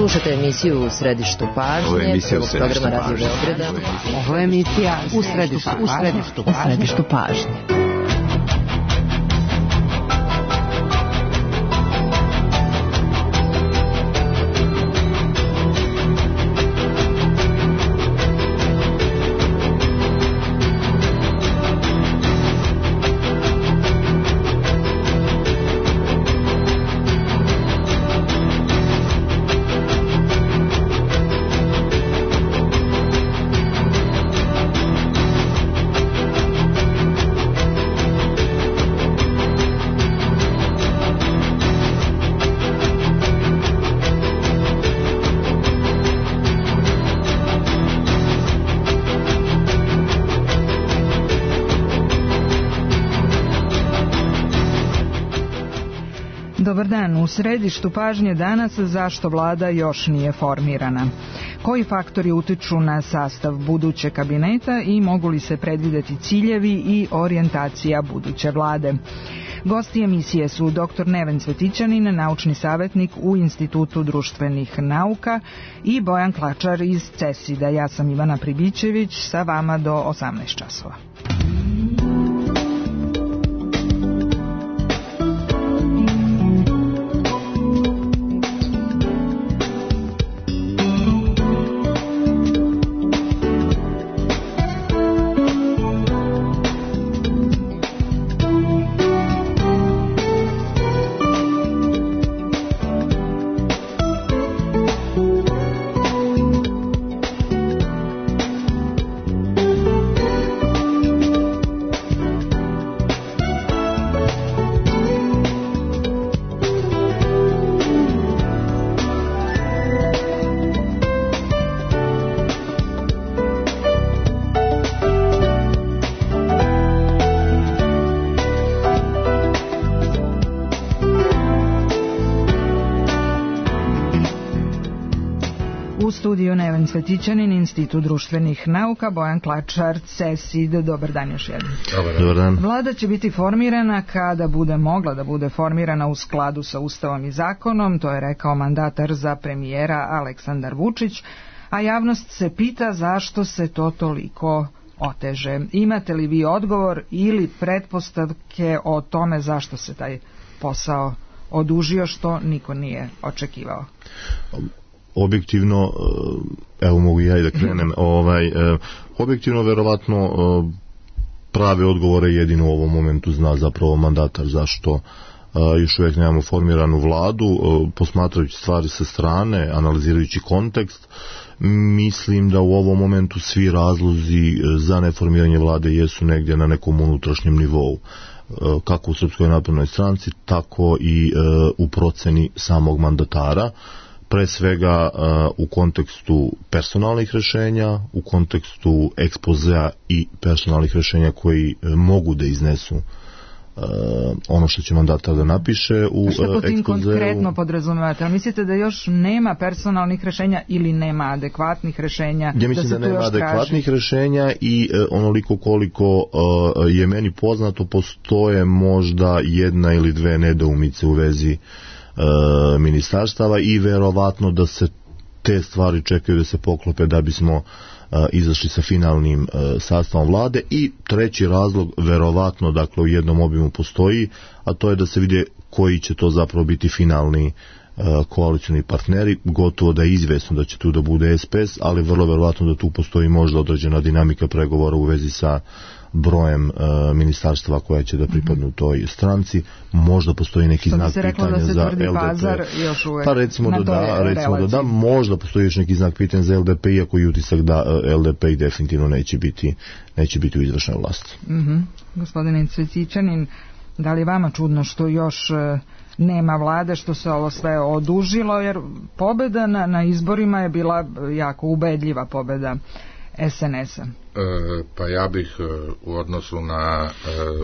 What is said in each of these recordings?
Slušajte emisiju U središtu pažnje prvog programa Radio Beograda. Ovo je emisija U središtu pažnje. Dobar dan, u središtu pažnje danas zašto vlada još nije formirana. Koji faktori utiču na sastav budućeg kabineta i mogu li se predvideti ciljevi i orijentacija buduće vlade? Gosti emisije su dr. Neven Cvetićanin, naučni savjetnik u Institutu društvenih nauka, i Bojan Klačar iz CESID-a. Ja sam Ivana Pribićević, sa vama do 18 časova. U studiju Neven Cvetićanin, Institut društvenih nauka, Bojan Klačar, CESID. Dobar dan još jednom. Dobar dan. Vlada će biti formirana kada bude mogla da bude formirana u skladu sa Ustavom i zakonom, to je rekao mandatar za premijera Aleksandar Vučić, a javnost se pita zašto se to toliko oteže. Imate li vi odgovor ili pretpostavke o tome zašto se taj posao odužio, što niko nije očekivao? Objektivno, evo mogu ja i da krenem, objektivno verovatno prave odgovore jedino u ovom momentu zna zapravo mandatar zašto još uvijek nemamo formiranu vladu. Posmatrajući stvari sa strane, analizirajući kontekst, mislim da u ovom momentu svi razlozi za neformiranje vlade jesu negdje na nekom unutrašnjem nivou, kako u Srpskoj naprednoj stranci, tako i u proceni samog mandatara. Pre svega u kontekstu personalnih rješenja, u kontekstu ekspozea i personalnih rješenja koji mogu da iznesu ono što će mandatar da napiše u ekspozeu. Što po tim konkretno podrazumevate? Mislite da još nema personalnih rješenja ili nema adekvatnih rješenja? Ja mislim da nema adekvatnih rješenja i onoliko koliko je meni poznato, postoje možda jedna ili dve nedoumice u vezi ministarstava i verovatno da se te stvari čekaju da se poklope da bismo izašli sa finalnim sastavom vlade. I treći razlog verovatno, dakle, u jednom obimu postoji, a to je da se vide koji će to zapravo biti finalni koalicioni partneri. Gotovo da je izvesno da će tu da bude SPS, ali vrlo verovatno da tu postoji možda određena dinamika pregovora u vezi sa brojem ministarstva koja će da pripadnu toj stranci. Možda postoji neki znak pitanja za LDP. Pa recimo da da, možda postoji još neki znak pitanja za LDP, iako je utisak da LDP i definitivno neće biti u izvršnoj vlasti. Gospodine Cvetićanin, da li je vama čudno što još nema vlade, što se ovo sve odužilo, jer pobjeda na izborima je bila jako ubedljiva pobjeda SNS-a? Pa ja bih u odnosu na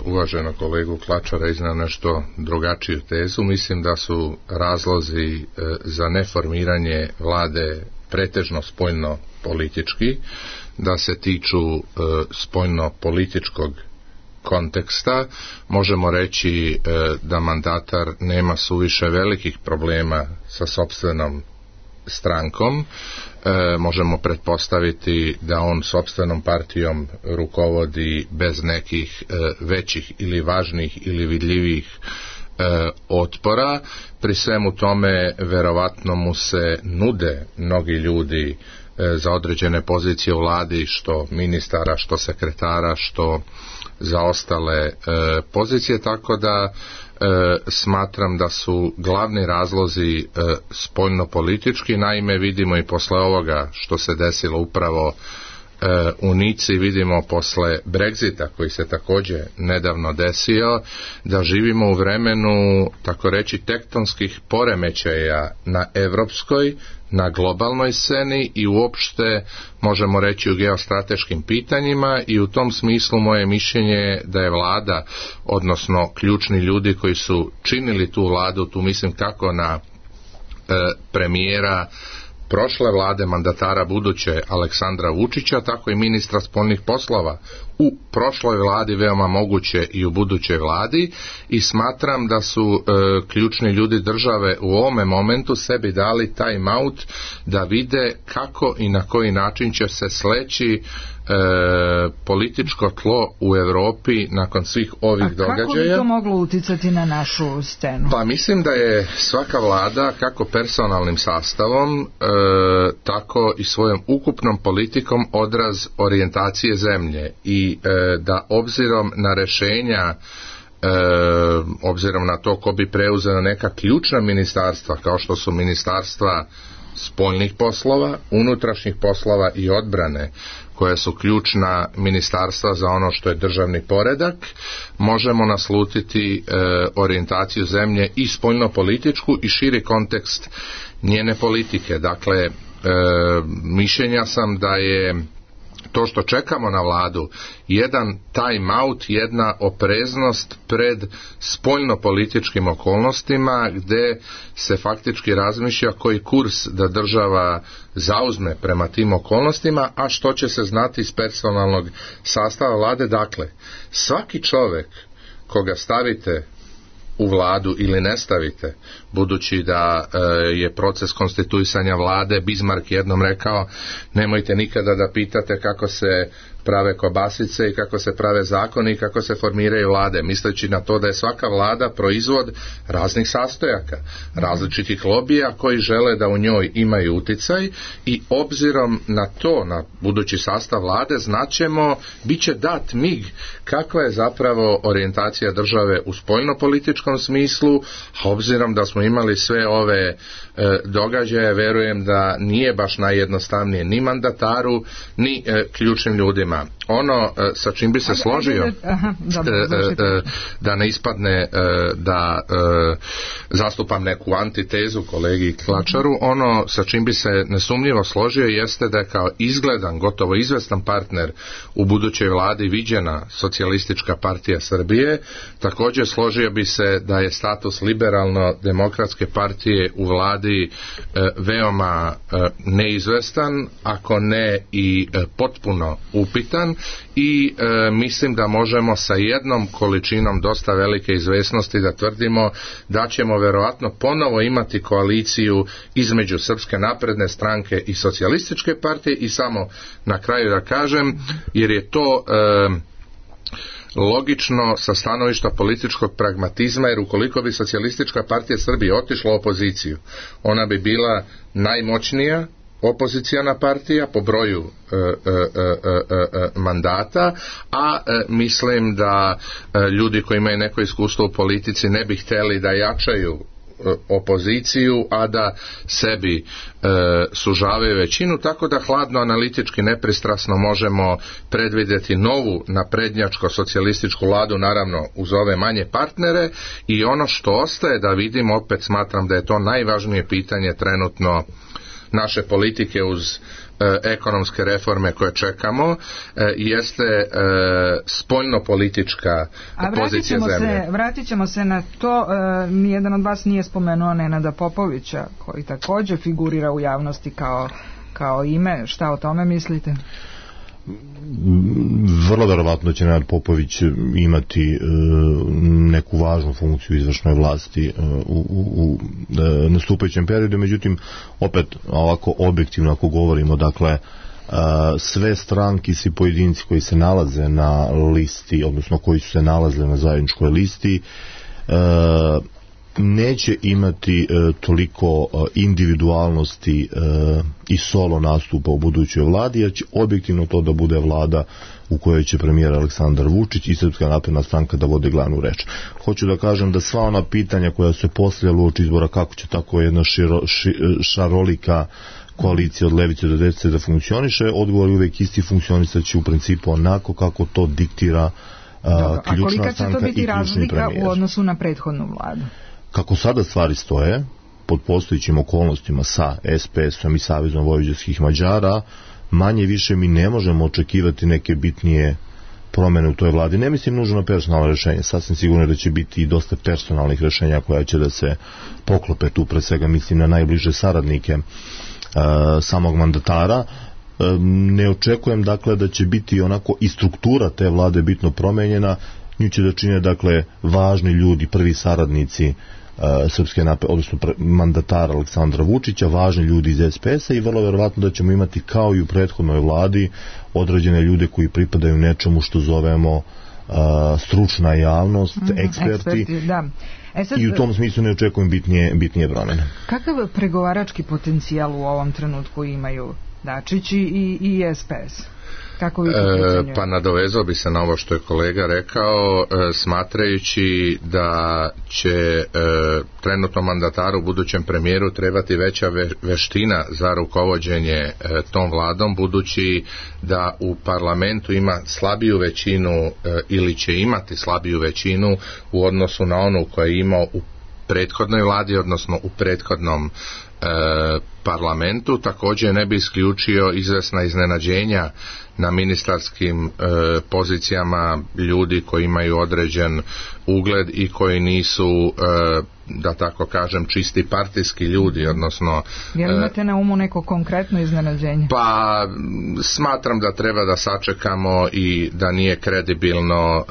uvaženog kolegu Klačara iznao nešto drugačiju tezu. Mislim da su razlozi za neformiranje vlade pretežno spoljno politički, da se tiču spoljno političkog konteksta. Možemo reći da mandatar nema suviše velikih problema sa sopstvenom strankom. Možemo pretpostaviti da on sopstvenom partijom rukovodi bez nekih većih ili važnih ili vidljivih otpora. Pri svemu tome verovatno mu se nude mnogi ljudi za određene pozicije u vladi, što ministara, što sekretara, što za ostale pozicije, tako da smatram da su glavni razlozi spoljnopolitički. Naime, vidimo i posle ovoga što se desilo upravo u Nici, vidimo posle Brexita koji se također nedavno desio, da živimo u vremenu, tako reći, tektonskih poremećaja na evropskoj, na globalnoj sceni i uopšte možemo reći u geostrateškim pitanjima, i u tom smislu moje mišljenje je da je vlada, odnosno ključni ljudi koji su činili tu vladu, tu mislim kako na premijera prošle vlade, mandatara buduće Aleksandra Vučića, tako i ministra spoljnih poslova u prošloj vladi, veoma moguće i u budućoj vladi, i smatram da su ključni ljudi države u ovome momentu sebi dali time out da vide kako i na koji način će se sleći političko tlo u Europi nakon svih ovih događaja. Kako bi to moglo uticati na našu scenu? Pa mislim da je svaka vlada, kako personalnim sastavom, tako i svojom ukupnom politikom odraz orijentacije zemlje, i da obzirom na rešenja, obzirom na to ko bi preuzeo neka ključna ministarstva kao što su ministarstva spoljnih poslova, unutrašnjih poslova i odbrane, koja su ključna ministarstva za ono što je državni poredak, možemo naslutiti orijentaciju zemlje i spoljnopolitičku i širi kontekst njene politike. Dakle, mišljenja sam da je to što čekamo na vladu jedan time out, jedna opreznost pred spoljnopolitičkim okolnostima, gde se faktički razmišlja koji kurs da država zauzme prema tim okolnostima, a što će se znati iz personalnog sastava vlade. Dakle, svaki čovjek koga stavite u vladu ili ne stavite, budući da je proces konstituisanja vlade, Bismarck jednom rekao, nemojte nikada da pitate kako se prave kobasice i kako se prave zakoni i kako se formiraju vlade, misleći na to da je svaka vlada proizvod raznih sastojaka, različitih lobija koji žele da u njoj imaju uticaj, i obzirom na to, na budući sastav vlade, znaćemo, bit će dat mig kakva je zapravo orijentacija države u spoljnopolitičkom smislu, a obzirom da smo imali sve ove događaje, verujem da nije baš najjednostavnije ni mandataru, ni ključnim ljudima. Ono sa čim bi se složio, da ne ispadne da zastupam neku antitezu kolegi Klačaru, ono sa čim bi se nesumnjivo složio jeste da je kao izgledan, gotovo izvestan partner u budućoj vladi viđena Socijalistička partija Srbije. Također složio bi se da je status liberalno-demokratske partije u vladi veoma neizvestan, ako ne i potpuno upitan, i mislim da možemo sa jednom količinom dosta velike izvesnosti da tvrdimo da ćemo verovatno ponovo imati koaliciju između Srpske napredne stranke i Socijalističke partije. I samo na kraju da kažem, jer je to logično sa stanovišta političkog pragmatizma, jer ukoliko bi Socijalistička partija Srbije otišla u opoziciju, ona bi bila najmoćnija opoziciona partija po broju mandata, a mislim da ljudi koji imaju neko iskustvo u politici ne bi htjeli da jačaju opoziciju, a da sebi sužavaju većinu, tako da hladno analitički nepristrasno možemo predvidjeti novu naprednjačko socijalističku vladu, naravno uz ove manje partnere. I ono što ostaje da vidimo, opet smatram da je to najvažnije pitanje trenutno naše politike uz ekonomske reforme koje čekamo, jeste spoljnopolitička pozicija zemlje. Vratit ćemo se na to. Nijedan od vas nije spomenuo Nenada Popovića, koji također figurira u javnosti kao ime. Šta o tome mislite? vrlo verovatno će Nenad Popović imati neku važnu funkciju izvršnoj vlasti u nastupajućem periodu, međutim opet ovako objektivno ako govorimo, dakle sve stranke, svi pojedinci koji se nalaze na listi, odnosno koji su se nalazili na zajedničkoj listi, neće imati toliko individualnosti i solo nastupa u budućoj vladi, jer će objektivno to da bude vlada u kojoj će premijer Aleksandar Vučić i Srpska napredna stranka da vode glavnu reč. Hoću da kažem da sva ona pitanja koja se postavljala uoči izbora kako će tako jedna šarolika koalicija od levice do desnice da funkcioniše, odgovor je uvijek isti, funkcionisat će u principu onako kako to diktira ključna stranka i ključni premijer. A kolika će to biti razlika u odnosu na prethodnu vladu? Kako sada stvari stoje, pod postojićim okolnostima sa SPS-om i Savezom vojvođanskih Mađara, manje više mi ne možemo očekivati neke bitnije promjene u toj vladi. Ne mislim nužno na personalno rješenje, sasvim sigurno da će biti i dosta personalnih rješenja koja će da se poklope tu, pre svega mislim na najbliže saradnike samog mandatara. Ne očekujem dakle da će biti onako i struktura te vlade bitno promenjena, nju će da čine dakle važni ljudi, prvi saradnici Srpske napredne, odnosno mandatara Aleksandra Vučića, važni ljudi iz SPS-a i vrlo verovatno da ćemo imati kao i u prethodnoj vladi određene ljude koji pripadaju nečemu što zovemo stručna javnost, eksperti da. Sad, i u tom smislu ne očekujem bitnije promjene. Kakav pregovarački potencijal u ovom trenutku imaju Dačić i SPS? Pa nadovezao bi se na ovo što je kolega rekao, smatrajući da će trenutno mandataru, budućem premijeru trebati veća veština za rukovođenje tom vladom, budući da u parlamentu ima slabiju većinu ili će imati slabiju većinu u odnosu na onu koju je imao u prethodnoj vladi, odnosno u prethodnom parlamentu. Također ne bi isključio izvesna iznenađenja na ministarskim pozicijama ljudi koji imaju određen ugled i koji nisu da tako kažem čisti partijski ljudi, odnosno jel imate na umu neko konkretno iznenađenje? Pa smatram da treba da sačekamo i da nije kredibilno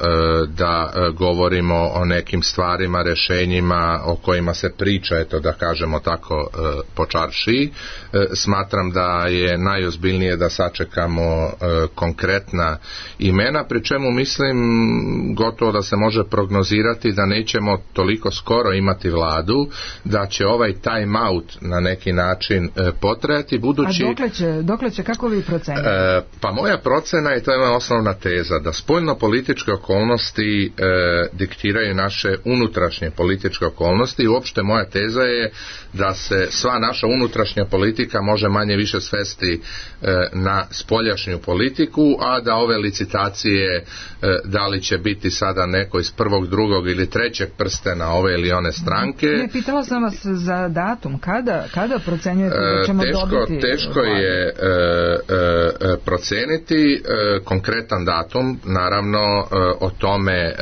da govorimo o nekim stvarima, rješenjima o kojima se priča, eto da kažemo tako po čaršiji. Smatram da je najozbiljnije da sačekamo konkretna imena, pri čemu mislim gotovo da se može prognozirati da nećemo toliko skoro imati vladu, da će ovaj time out na neki način potrajati, budući... A dokle će, kako vi procenite? Pa moja procena i to je moja osnovna teza, da spoljno-političke okolnosti diktiraju naše unutrašnje političke okolnosti i uopšte moja teza je da se sva naša unutrašnja politika može manje više svesti na spoljašnju politiku, a da ove licitacije da li će biti sada neko iz prvog, drugog ili trećeg prstena ove ili one stranke. Ne, pitala sam vas za datum, kada procenjujete da ćemo dobiti? Teško je proceniti konkretan datum, naravno o tome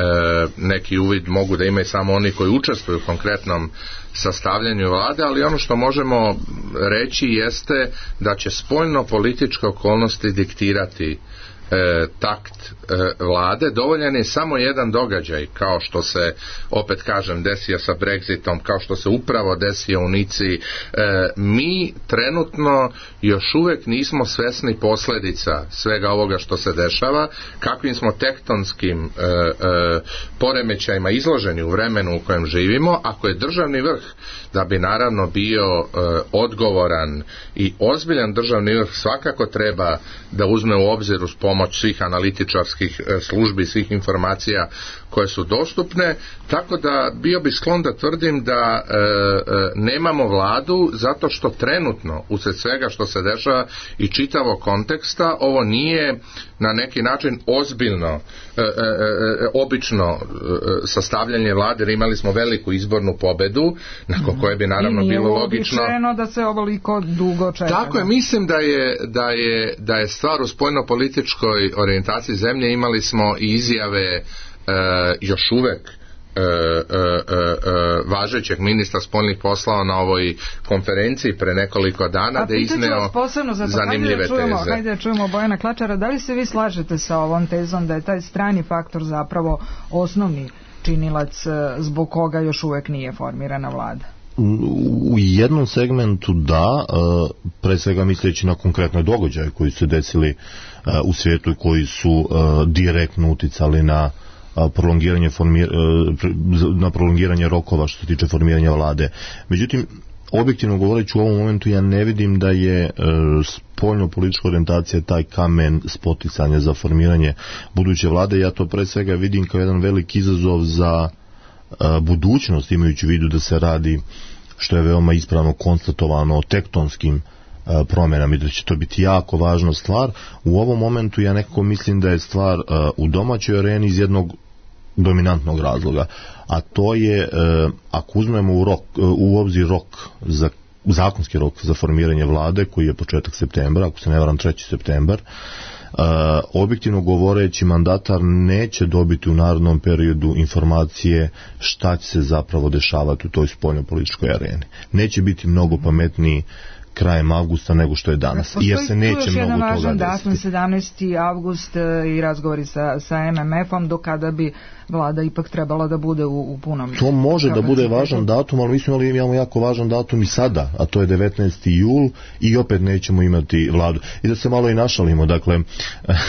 neki uvid mogu da imaju samo oni koji učestvuju u konkretnom sastavljanju vlade, ali ono što možemo reći jeste da će spoljno-političke okolnosti diktirati takt vlade. Dovoljan je samo jedan događaj, kao što se, opet kažem, desio sa Brexitom, kao što se upravo desio u Nici. Mi trenutno još uvijek nismo svesni posljedica svega ovoga što se dešava, kakvim smo tektonskim poremećajima izloženi u vremenu u kojem živimo. Ako je državni vrh, da bi naravno bio odgovoran i ozbiljan državni vrh, svakako treba da uzme u obzir uz pomoć svih analitičarskih službi, svih informacija koje su dostupne, tako da bio bi sklon da tvrdim da nemamo vladu zato što trenutno usred svega što se dešava i čitavog konteksta ovo nije na neki način ozbiljno obično sastavljanje vlade, jer imali smo veliku izbornu pobedu nakon koje bi naravno bilo logično. I nije uobičajeno da se ovoliko dugo čeka. Tako je, mislim da je stvar u spoljno-političkoj orijentaciji zemlje. Imali smo i izjave još uvek važećeg ministra spoljnih poslova na ovoj konferenciji pre nekoliko dana da je izneo zanimljive teze. Hajde da čujemo Bojana Klačara. Da li se vi slažete sa ovom tezom da je taj strani faktor zapravo osnovni činilac zbog koga još uvek nije formirana vlada? U jednom segmentu da, pre svega misleći na konkretne događaje koji su desili u svijetu i koji su direktno uticali na prolongiranje rokova što se tiče formiranja vlade. Međutim, objektivno govoreći u ovom momentu ja ne vidim da je spoljno-politička orijentacija taj kamen spoticanja za formiranje buduće vlade. Ja to pre svega vidim kao jedan veliki izazov za budućnost, imajući u vidu da se radi, što je veoma ispravno konstatovano, o tektonskim promjenama i da će to biti jako važna stvar. U ovom momentu ja nekako mislim da je stvar u domaćoj areni iz jednog dominantnog razloga, a to je ako uzmemo u obzir zakonski rok za formiranje vlade koji je početak septembra, ako se ne varam 3. septembar, objektivno govoreći mandatar neće dobiti u narednom periodu informacije šta će se zapravo dešavati u toj spoljno-političkoj areni. Neće biti mnogo pametniji krajem avgusta nego što je danas, jer se neće mnogo toga desiti. Datum 17. avgust i razgovori sa MMF-om, do kada bi vlada ipak trebala da bude u punom. To može da bude važan datum, ali mi imamo jako važan datum i sada, a to je 19. jul i opet nećemo imati vladu. I da se malo i našalimo, dakle,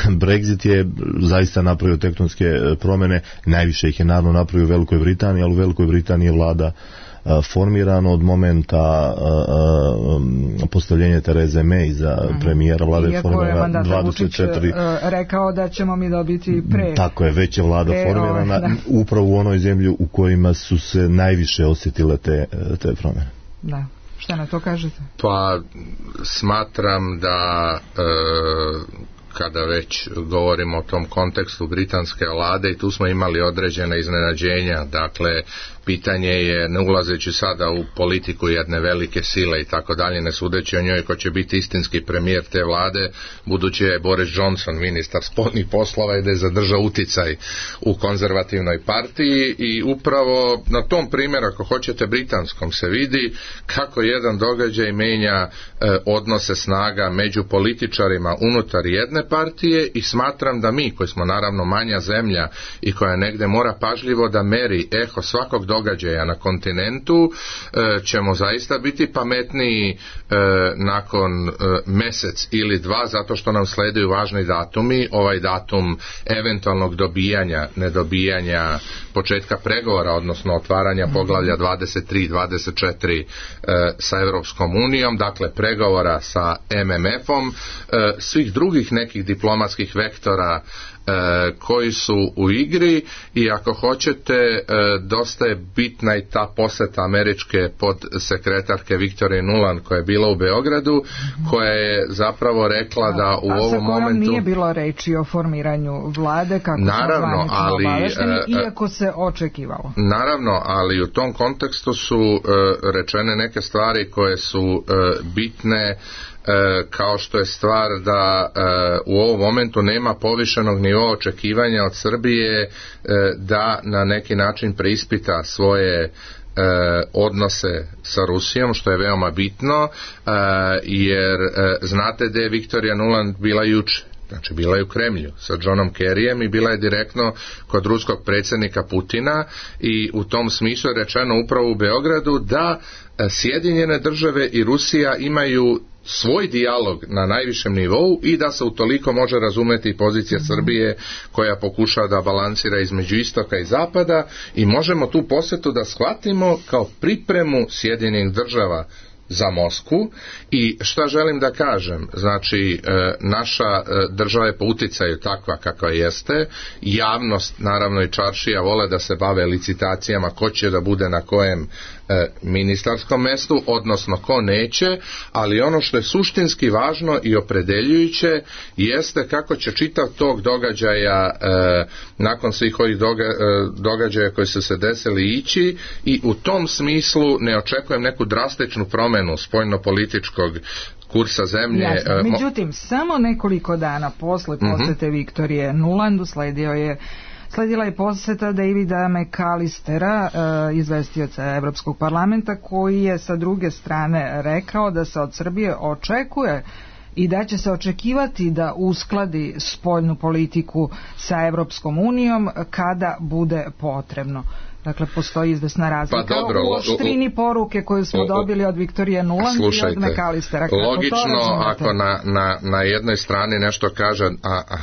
Brexit je zaista napravio tektonske promjene, najviše ih je naravno napravio u Velikoj Britaniji, ali u Velikoj Britaniji je vlada formirano od momenta postavljenja Tereze May za premijera vlade. Iako je mandatar Vučić rekao da ćemo mi dobiti pre. Tako je, već je vlada formirana upravo u onoj zemlji u kojima su se najviše osjetile te promjene. Da. Šta na to kažete? Pa smatram da kada već govorimo o tom kontekstu britanske vlade i tu smo imali određene iznenađenja, dakle pitanje je, ne ulazeći sada u politiku jedne velike sile i tako dalje, ne sudeći o njoj ko će biti istinski premijer te vlade, budući je Boris Johnson ministar spoljnih poslova i da je zadržao uticaj u konzervativnoj partiji i upravo na tom primjeru, ako hoćete britanskom, se vidi kako jedan događaj menja odnose snaga među političarima unutar jedne partije i smatram da mi, koji smo naravno manja zemlja i koja negde mora pažljivo da meri eho svakog događaja na kontinentu, ćemo zaista biti pametniji nakon mesec ili dva, zato što nam sleduju važni datumi, ovaj datum eventualnog dobijanja, nedobijanja početka pregovora, odnosno otvaranja poglavlja 23-24 sa Europskom unijom, dakle pregovora sa MMF-om, svih drugih nekih diplomatskih vektora koji su u igri i ako hoćete dosta je bitna i ta posjeta američke podsekretarke Victorije Nuland koja je bila u Beogradu, koja je zapravo rekla da u ovom momentu nije bilo reči o formiranju vlade kako naravno, ali iako se očekivalo. Naravno, ali u tom kontekstu su rečene neke stvari koje su bitne, kao što je stvar da u ovom momentu nema povišenog nivoa očekivanja od Srbije da na neki način preispita svoje odnose sa Rusijom, što je veoma bitno, jer znate da je Victorija Nuland bila juče. Znači, bila je u Kremlju sa Johnom Kerryjem i bila je direktno kod ruskog predsjednika Putina i u tom smislu je rečeno upravo u Beogradu da Sjedinjene države i Rusija imaju svoj dijalog na najvišem nivou i da se utoliko može razumjeti pozicija Srbije koja pokušava da balansira između istoka i zapada i možemo tu posjetu da shvatimo kao pripremu Sjedinjenih država za Moskvu. I šta želim da kažem, znači naša država je po uticaju takva kakva jeste, javnost naravno i čaršija vole da se bave licitacijama ko će da bude na kojem ministarskom mestu, odnosno ko neće, ali ono što je suštinski važno i opredeljujuće jeste kako će čitav tog događaja nakon svih ovih događaja koji su se desili ići i u tom smislu ne očekujem neku drastičnu promjenu spoljno-političkog kursa zemlje. Međutim, samo nekoliko dana posle posjete Viktorije Nuland usledio je Sledila je poseta Davida McAllistera, izvestioca Evropskog parlamenta, koji je sa druge strane rekao da se od Srbije očekuje i da će se očekivati da uskladi spoljnu politiku sa Evropskom unijom kada bude potrebno. Dakle, postoji izvesna razlika u oštrini poruke koju smo dobili od Viktorije Nuland i od McAllistera. Logično, ako na jednoj strani nešto kaže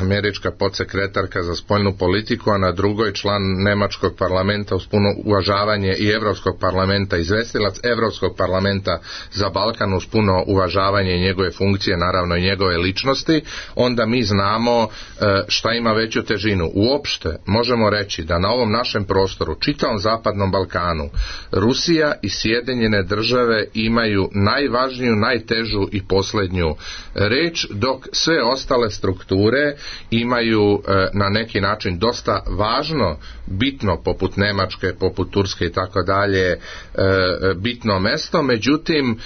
američka podsekretarka za spoljnu politiku, a na drugoj član nemačkog parlamenta uz puno uvažavanje i Evropskog parlamenta, izvestilac Evropskog parlamenta za Balkan uz puno uvažavanje njegove funkcije, naravno i njegove ličnosti, onda mi znamo šta ima veću težinu. Uopšte možemo reći da na ovom našem prostoru, čitavom Zapadnom Balkanu, Rusija i Sjedinjene države imaju najvažniju, najtežu i posljednju reč, dok sve ostale strukture imaju na neki način dosta važno, bitno, poput Nemačke, poput Turske i tako dalje, bitno mesto. Međutim,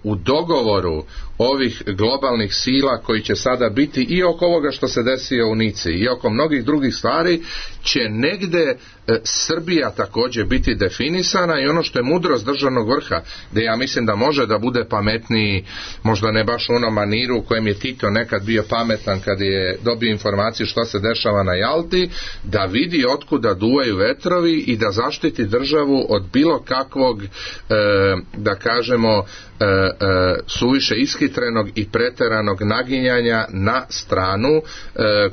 u dogovoru ovih globalnih sila koji će sada biti i oko ovoga što se desio u Nici i oko mnogih drugih stvari, će negde Srbija također biti definisana, i ono što je mudrost državnog vrha, da ja mislim da može da bude pametniji, možda ne baš u onom maniru u kojem je Tito nekad bio pametan kad je dobio informaciju što se dešava na Jalti, da vidi otkuda duvaju vetrovi i da zaštiti državu od bilo kakvog, da kažemo, suviše iskitrenog i preteranog naginjanja na stranu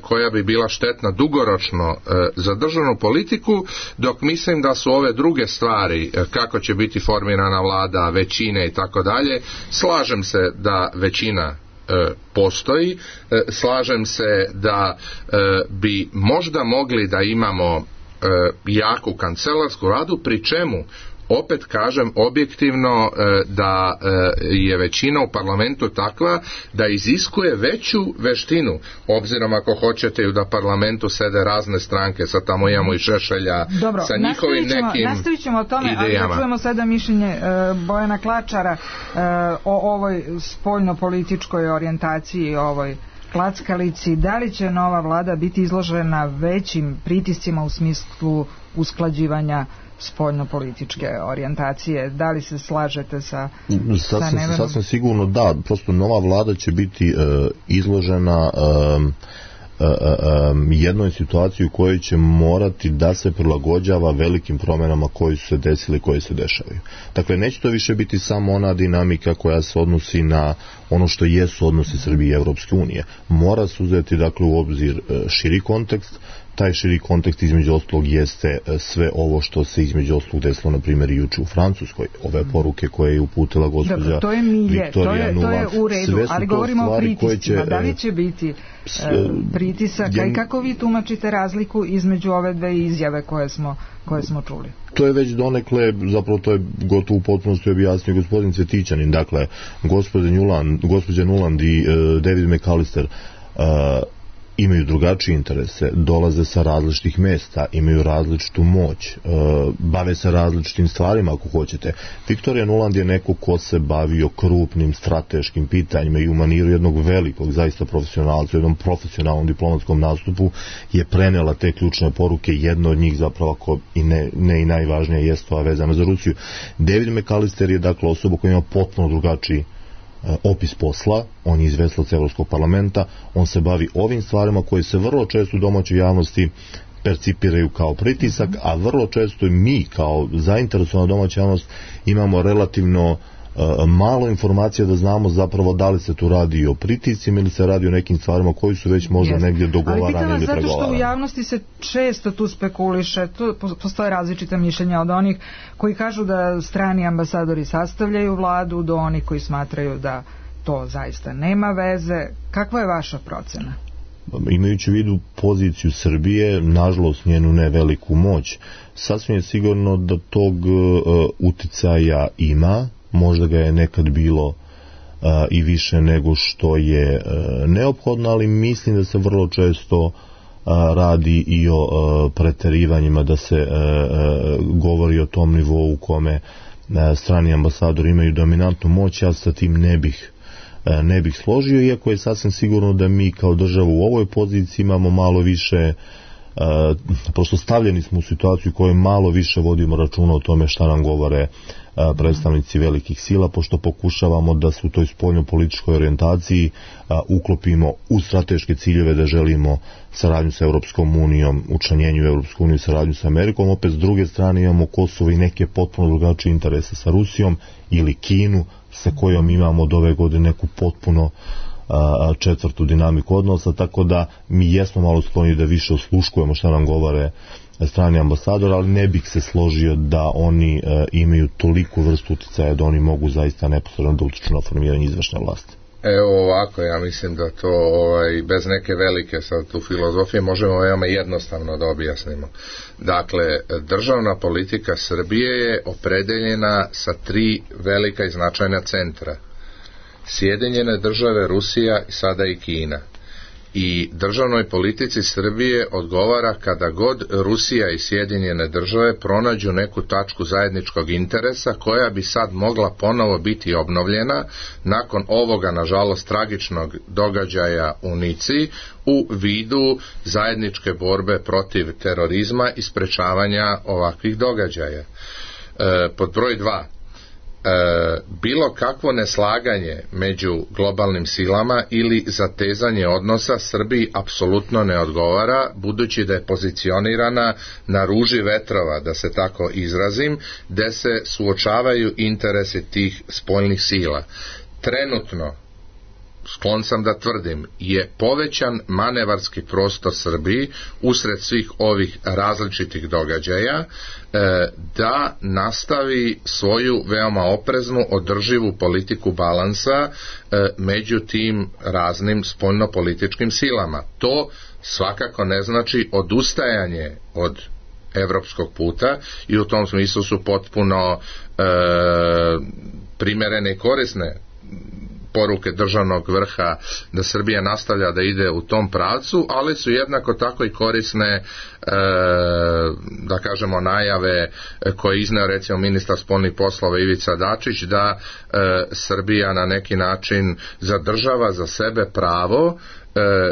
koja bi bila štetna dugoročno za državnu politiku, dok mislim da su ove druge stvari, kako će biti formirana vlada, većine i tako dalje, slažem se da većina postoji, slažem se da bi možda mogli da imamo jaku kancelarsku vladu, pri čemu opet kažem objektivno da je većina u parlamentu takva da iziskuje veću veštinu, obzirom ako hoćete da parlamentu sede razne stranke, sad tamo imamo i Šešelja. Dobro, sa njihovim nekim nastavit ćemo o tome, idejama. Ali da čujemo sada mišljenje Bojana Klačara o ovoj spoljnopolitičkoj orijentaciji, ovoj klackalici. Da li će nova vlada biti izložena većim pritiscima u smislu usklađivanja spoljnopolitičke orijentacije? Da li se slažete sa Nevenom? Sasvim sigurno da, prosto nova vlada će biti izložena jednoj situaciji u kojoj će morati da se prilagođava velikim promjenama koje su se desile i koje se dešavaju. Dakle, neće to više biti samo ona dinamika koja se odnosi na ono što jesu odnosi Srbije i Evropske unije. Mora se uzeti, dakle, u obzir širi kontekst. Taj širi kontekst između ostalog jeste sve ovo što se između ostalog desilo, na primjer, i juče u Francuskoj. Ove poruke koje je uputila gospođa Viktorija Nuland. To je u redu, ali govorimo o pritiscima. Da li će biti pritisaka i kako vi tumačite razliku između ove dve izjave koje smo čuli? To je već donekle, zapravo to je gotovo u potpunosti objasnio gospodin Cvetićanin. Dakle, gospođa Nuland i David McAllister imaju drugačije interese, dolaze sa različitih mesta, imaju različitu moć, bave se različitim stvarima ako hoćete. Viktorija Nuland je neko ko se bavio krupnim strateškim pitanjima i u maniru jednog velikog, zaista profesionalca, u jednom profesionalnom diplomatskom nastupu je prenela te ključne poruke. Jedno od njih zapravo, ako i ne i najvažnija, jest ova vezana za Rusiju. David McAllister je, dakle, osoba koja ima potpuno drugačiji opis posla, on je izvestilac Evropskog parlamenta, on se bavi ovim stvarima koje se vrlo često u domaćoj javnosti percipiraju kao pritisak, a vrlo često i mi kao zainteresovana domaća javnost imamo relativno malo informacija da znamo zapravo da li se tu radi o pritiscima ili se radi o nekim stvarima koji su već možda negdje dogovarani ili pregovarani. Ali pitam vas zato što u javnosti se često tu spekuliše, tu postoje različita mišljenja od onih koji kažu da strani ambasadori sastavljaju vladu do onih koji smatraju da to zaista nema veze. Kakva je vaša procena? Imajući u vidu poziciju Srbije, nažalost njenu ne veliku moć, sasvim je sigurno da tog uticaja ima. Možda ga je nekad bilo i više nego što je neophodno, ali mislim da se vrlo često radi i o preterivanjima, da se govori o tom nivou u kome strani ambasadori imaju dominantnu moć. Ja sa tim ne bih složio, iako je sasvim sigurno da mi kao država u ovoj poziciji imamo malo više prosto stavljeni smo u situaciju u kojoj malo više vodimo računa o tome šta nam govore predstavnici velikih sila, pošto pokušavamo da se u toj spoljno-političkoj orijentaciji uklopimo u strateške ciljeve da želimo saradnju sa Europskom unijom, učlanjenju u Europsku uniju, saradnju sa Amerikom. Opet s druge strane imamo Kosovo i neke potpuno drugačije interese sa Rusijom ili Kinu, sa kojom imamo od ove godine neku potpuno četvrtu dinamiku odnosa, tako da mi jesmo malo skloni da više osluškujemo šta nam govore strani ambasador, ali ne bih se složio da oni imaju toliku vrstu uticaja da oni mogu zaista neposredno da utiču na formiranje izvršne vlasti. Evo ovako, ja mislim da to bez neke velike sad tu filozofije možemo veoma jednostavno da objasnimo. Dakle, državna politika Srbije je opredeljena sa 3 velika i značajna centra. Sjedinjene države, Rusija i sada i Kina. I državnoj politici Srbije odgovara kada god Rusija i Sjedinjene države pronađu neku tačku zajedničkog interesa koja bi sad mogla ponovo biti obnovljena nakon ovoga, nažalost, tragičnog događaja u Nici u vidu zajedničke borbe protiv terorizma i sprečavanja ovakvih događaja. Pod broj 2. Bilo kakvo neslaganje među globalnim silama ili zatezanje odnosa Srbiji apsolutno ne odgovara, budući da je pozicionirana na ruži vetrova, da se tako izrazim, gde se suočavaju interesi tih spoljnih sila. Trenutno, sklon sam da tvrdim, je povećan manevarski prostor Srbiji usred svih ovih različitih događaja da nastavi svoju veoma opreznu, održivu politiku balansa među tim raznim spoljnopolitičkim silama. To svakako ne znači odustajanje od evropskog puta i u tom smislu su potpuno primerene i korisne poruke državnog vrha da Srbija nastavlja da ide u tom pravcu, ali su jednako tako i korisne da kažemo najave koje izneo recimo ministar spoljnih poslova Ivica Dačić da Srbija na neki način zadržava za sebe pravo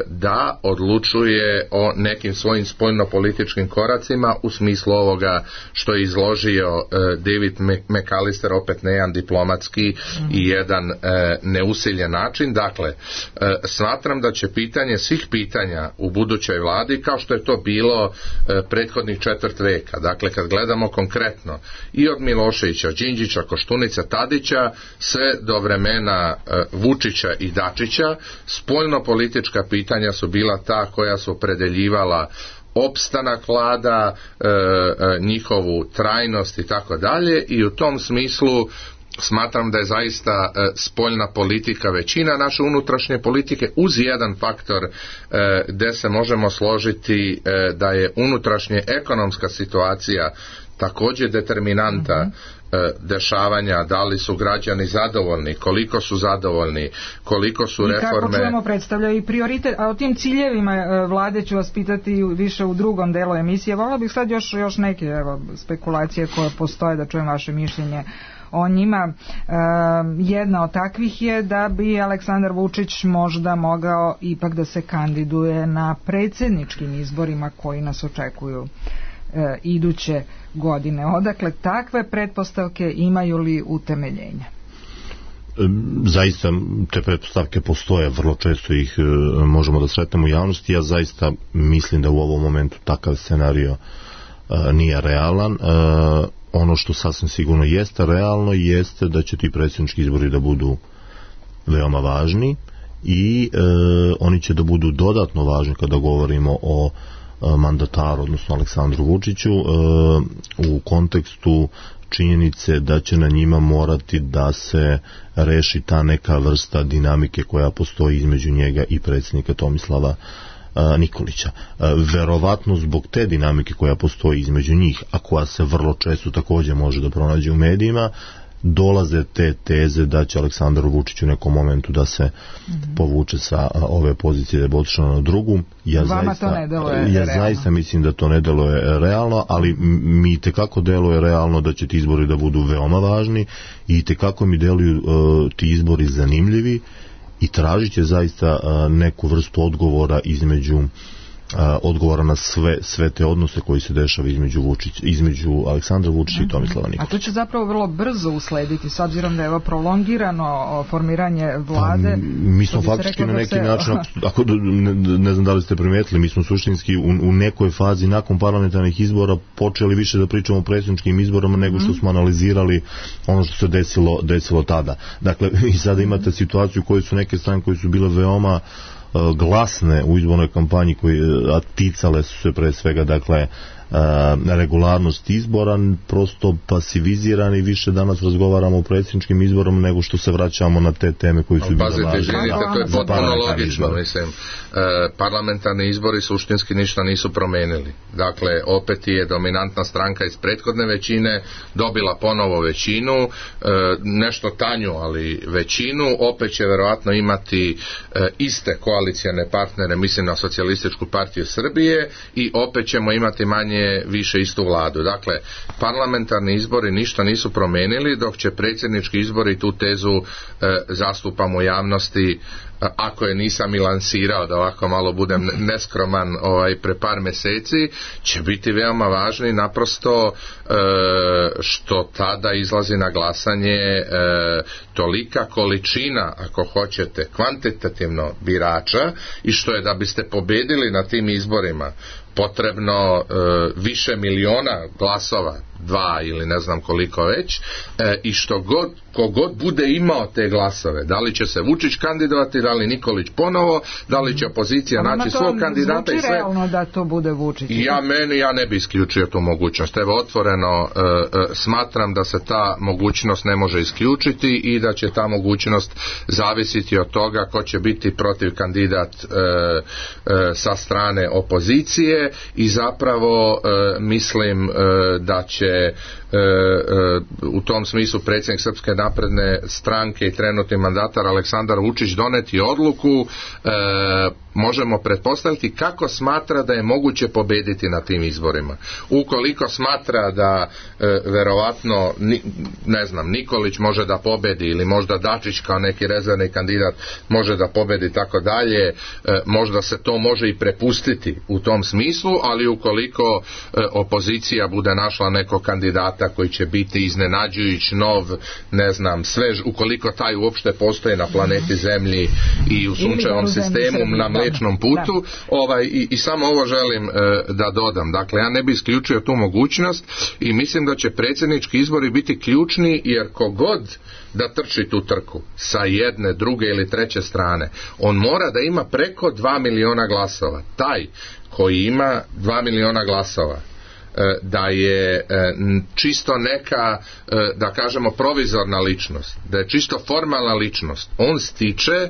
da odlučuje o nekim svojim spoljnopolitičkim koracima u smislu ovoga što je izložio David McAllister, opet na jedan diplomatski i jedan neusiljen način. Dakle, smatram da će pitanje svih pitanja u budućoj vladi, kao što je to bilo prethodnih 4 veka, dakle kad gledamo konkretno i od Miloševića, Đinđića, Koštunice, Tadića, sve do vremena Vučića i Dačića, spoljnopolitička pitanja su bila ta koja su opredeljivala opstanak vlada, njihovu trajnost i tako dalje, i u tom smislu smatram da je zaista spoljna politika većina naše unutrašnje politike, uz jedan faktor gde se možemo složiti da je unutrašnja ekonomska situacija također determinanta dešavanja, da li su građani zadovoljni, koliko su zadovoljni, koliko su reforme. I kako čujemo predstavlja i prioritet, a o tim ciljevima vlade ću vas pitati više u drugom delu emisije. Volila bih sad još neke spekulacije koje postoje, da čujem vaše mišljenje o njima. Jedna od takvih je da bi Aleksandar Vučić možda mogao ipak da se kandiduje na predsjedničkim izborima koji nas očekuju iduće godine. Odakle takve pretpostavke, imaju li utemeljenja? Zaista te pretpostavke postoje, vrlo često ih možemo da sretnemo u javnosti. Ja zaista mislim da u ovom momentu takav scenario nije realan. Ono što sasvim sigurno jeste realno jeste da će ti predsjednički izbori da budu veoma važni i oni će da budu dodatno važni kada govorimo o mandataru, odnosno Aleksandru Vučiću, u kontekstu činjenice da će na njima morati da se reši ta neka vrsta dinamike koja postoji između njega i predsjednika Tomislava Nikolića. Verovatno zbog te dinamike koja postoji između njih, a koja se vrlo često također može da pronađe u medijima, dolaze te teze da će Aleksandar Vučić u nekom momentu da se povuče sa ove pozicije, da je otišao na drugu. Ja zaista mislim da to ne deluje realno, ali mi tekako deluje realno da će ti izbori da budu veoma važni i tekako mi deluju ti izbori zanimljivi i tražit će zaista neku vrstu odgovora između odgovora na sve te odnose koji se dešava između Aleksandra Vučića i Tomislava Nikolića. A to će zapravo vrlo brzo uslediti, s obzirom da je ovo prolongirano formiranje vlade. Mi smo faktički na neki način, ako ne znam da li ste primijetili, mi smo suštinski u nekoj fazi nakon parlamentarnih izbora počeli više da pričamo o predsjedničkim izborama nego što smo analizirali ono što se desilo tada. Dakle, i sada imate situaciju u kojoj su neke strane koje su bile veoma glasne u izbornoj kampanji, a ticale su se pre svega, dakle, regularnost izbora, prosto pasivizirani, više danas razgovaramo o predsjedničkim izborom nego što se vraćamo na te teme koji su bile važne. Izvinite, to je potpuno logično, mislim. Parlamentarni izbori suštinski ništa nisu promenili. Dakle, opet je dominantna stranka iz prethodne većine dobila ponovo većinu, nešto tanju, ali većinu, opet će verovatno imati iste koalicijane partnere, mislim na Socijalističku partiju Srbije, i opet ćemo imati manje više istu vladu. Dakle, parlamentarni izbori ništa nisu promenili, dok će predsjednički izbori, tu tezu zastupamo u javnosti, ako je nisam i lansirao, da ovako malo budem neskroman pre par meseci, će biti veoma važni, naprosto što tada izlazi na glasanje tolika količina, ako hoćete, kvantitativno birača, i što je da biste pobedili na tim izborima potrebno više miliona glasova, 2 ili ne znam koliko već, i kogod bude imao te glasove, da li će se Vučić kandidovati, da li Nikolić ponovo, da li će opozicija naći svog kandidata i sve. Realno da to bude Vučić. Ja ne bi isključio tu mogućnost. Evo, otvoreno smatram da se ta mogućnost ne može isključiti i da će ta mogućnost zavisiti od toga ko će biti protiv kandidat sa strane opozicije, i zapravo mislim da će u tom smislu predsjednik Srpske napredne stranke i trenutni mandatar Aleksandar Vučić doneti odluku, možemo pretpostaviti kako smatra da je moguće pobediti na tim izborima. Ukoliko smatra da verovatno Nikolić može da pobedi, ili možda Dačić kao neki rezervni kandidat može da pobedi, tako dalje, možda se to može i prepustiti u tom smislu, ali ukoliko opozicija bude našla nekog kandidata koji će biti iznenađujuć, nov, svež, ukoliko taj uopšte postoji na planeti Zemlji i u sunčevom sistemu, na Mlečnom putu, i samo ovo želim da dodam. Dakle, ja ne bi isključio tu mogućnost i mislim da će predsjednički izbori biti ključni, jer kogod da trči tu trku sa jedne, druge ili treće strane, on mora da ima preko 2 miliona glasova. Taj koji ima 2 miliona glasova, da je čisto neka, da kažemo, provizorna ličnost, da je čisto formalna ličnost, on stiče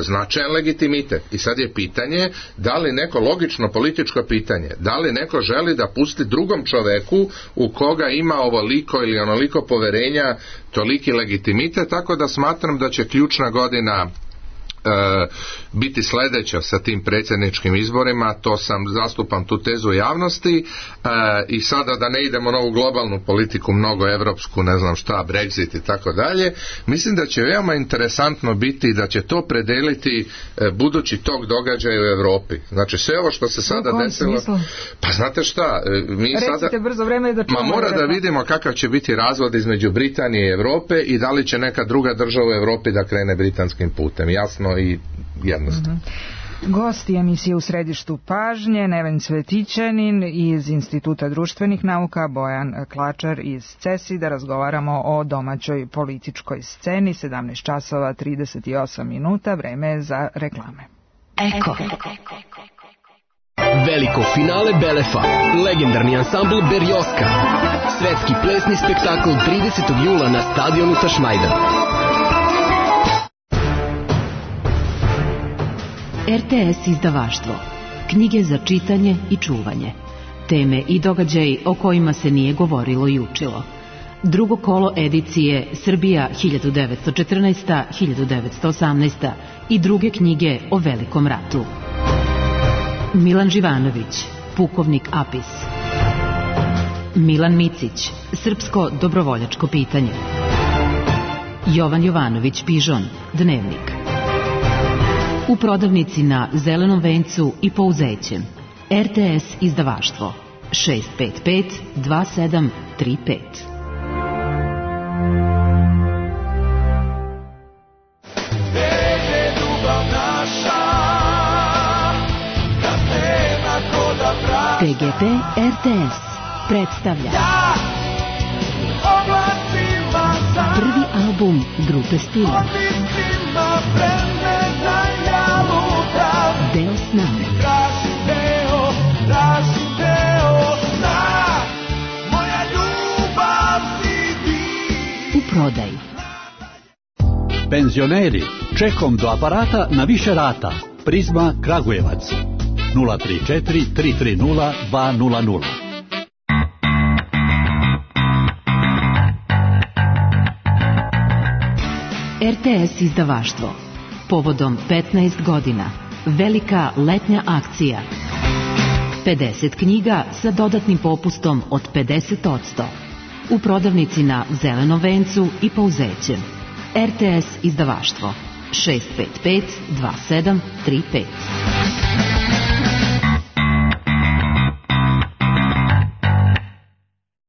značajan legitimitet. I sad je pitanje, da li neko, logično političko pitanje, da li neko želi da pusti drugom čoveku u koga ima ovoliko ili onoliko poverenja, toliki legitimitet, tako da smatram da će ključna godina biti sljedeća sa tim predsjedničkim izborima. To zastupam tu tezu u javnosti, i sada da ne idemo na ovu globalnu politiku, mnogo evropsku, ne znam šta, Brexit i tako dalje, mislim da će veoma interesantno biti da će to predeliti budući tok događaja u Evropi. Znači sve ovo što se sada desilo, pa znate šta, mi sada brzo vreme da mora da vidimo kakav će biti razvod između Britanije i Evrope i da li će neka druga država u Evropi da krene britanskim putem. Jasno i jednostavno. Gosti emisije U središtu pažnje, Neven Cvetićanin iz Instituta društvenih nauka, Bojan Klačar iz CESI, da razgovaramo o domaćoj političkoj sceni. 17 časova 38 minuta, vreme je za reklame. Eko. Veliko finale Belefa, legendarni ansambl Berjoska, svetski plesni spektakl 30. jula na stadionu Tašmajdan. RTS izdavaštvo. Knjige za čitanje i čuvanje. Teme i događaji o kojima se nije govorilo i učilo. Drugo kolo edicije Srbija 1914-1918 i druge knjige o Velikom ratu. Milan Živanović, Pukovnik Apis. Milan Micić, Srpsko dobrovoljačko pitanje. Jovan Jovanović Pižon, Dnevnik. U prodavnici na Zelenom vencu i Pouzećem. RTS izdavaštvo 655 2735. TGP RTS predstavlja prvi album grupe Stila. Deo s nama. U prodaji. Penzioneri, čekom do aparata na više rata. Prizma Kragujevac 034 330 200. RTS izdavaštvo. Povodom 15 godina. Velika letnja akcija. 50 knjiga sa dodatnim popustom od 50%. U prodavnici na Zelenom vencu i Pouzećem. RTS izdavaštvo 655 2735.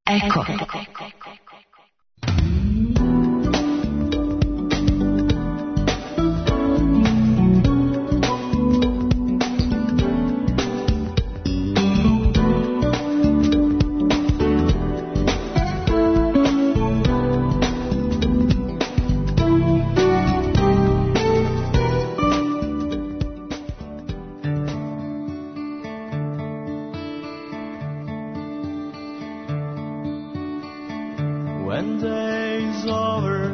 Eko. When day's over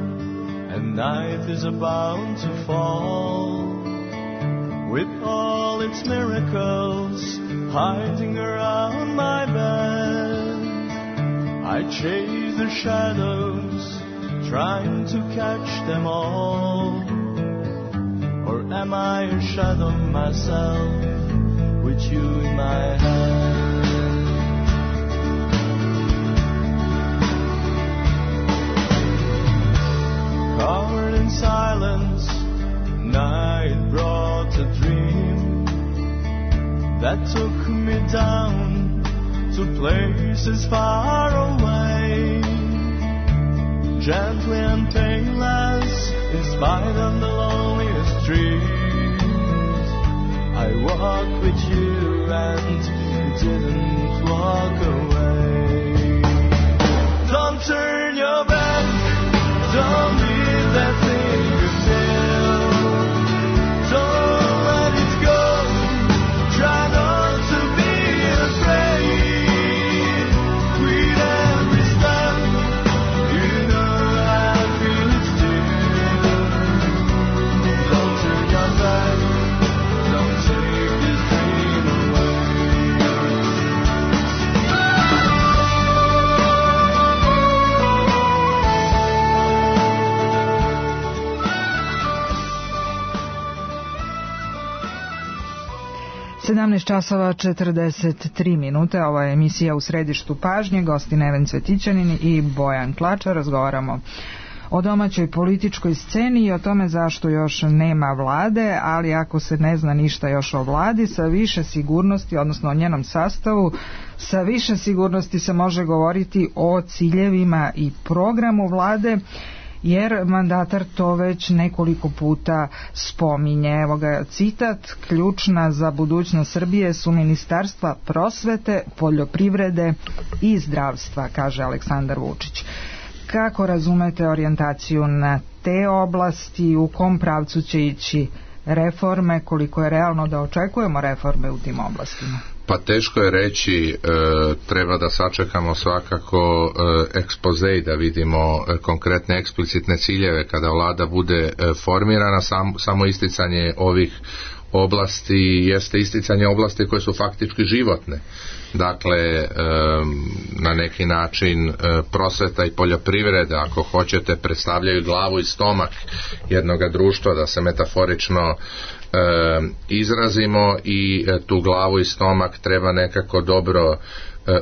and night is about to fall, with all its miracles hiding around my bed, I chase the shadows, trying to catch them all. Or am I a shadow myself, with you in my hand? Covered in silence, night brought a dream that took me down to places far away. Gently and painless, in spite of the loneliest dreams, I walked with you and you didn't walk away. Don't turn your back, don't leave that thing you feel. Don't let it go, try not to be afraid. With every step, you know I feel it still. Don't turn your back, don't take this dream away. časova 43 minute, ova je emisija U središtu pažnje, gosti Neven Cvetićanin i Bojan Klačar. Razgovaramo o domaćoj političkoj sceni i o tome zašto još nema vlade, ali ako se ne zna ništa još o vladi, sa više sigurnosti, odnosno o njenom sastavu, sa više sigurnosti se može govoriti o ciljevima i programu vlade, jer mandatar to već nekoliko puta spominje. Evo ga citat: ključna za budućnost Srbije su ministarstva prosvete, poljoprivrede i zdravstva, kaže Aleksandar Vučić. Kako razumete orijentaciju na te oblasti, u kom pravcu će ići reforme, koliko je realno da očekujemo reforme u tim oblastima? Pa teško je reći, treba da sačekamo svakako ekspoze i da vidimo konkretne eksplicitne ciljeve kada vlada bude formirana. Samo isticanje ovih oblasti jeste isticanje oblasti koje su faktički životne. Dakle, na neki način prosveta i poljoprivreda, ako hoćete, predstavljaju glavu i stomak jednoga društva, da se metaforično izrazimo, i tu glavu i stomak treba nekako dobro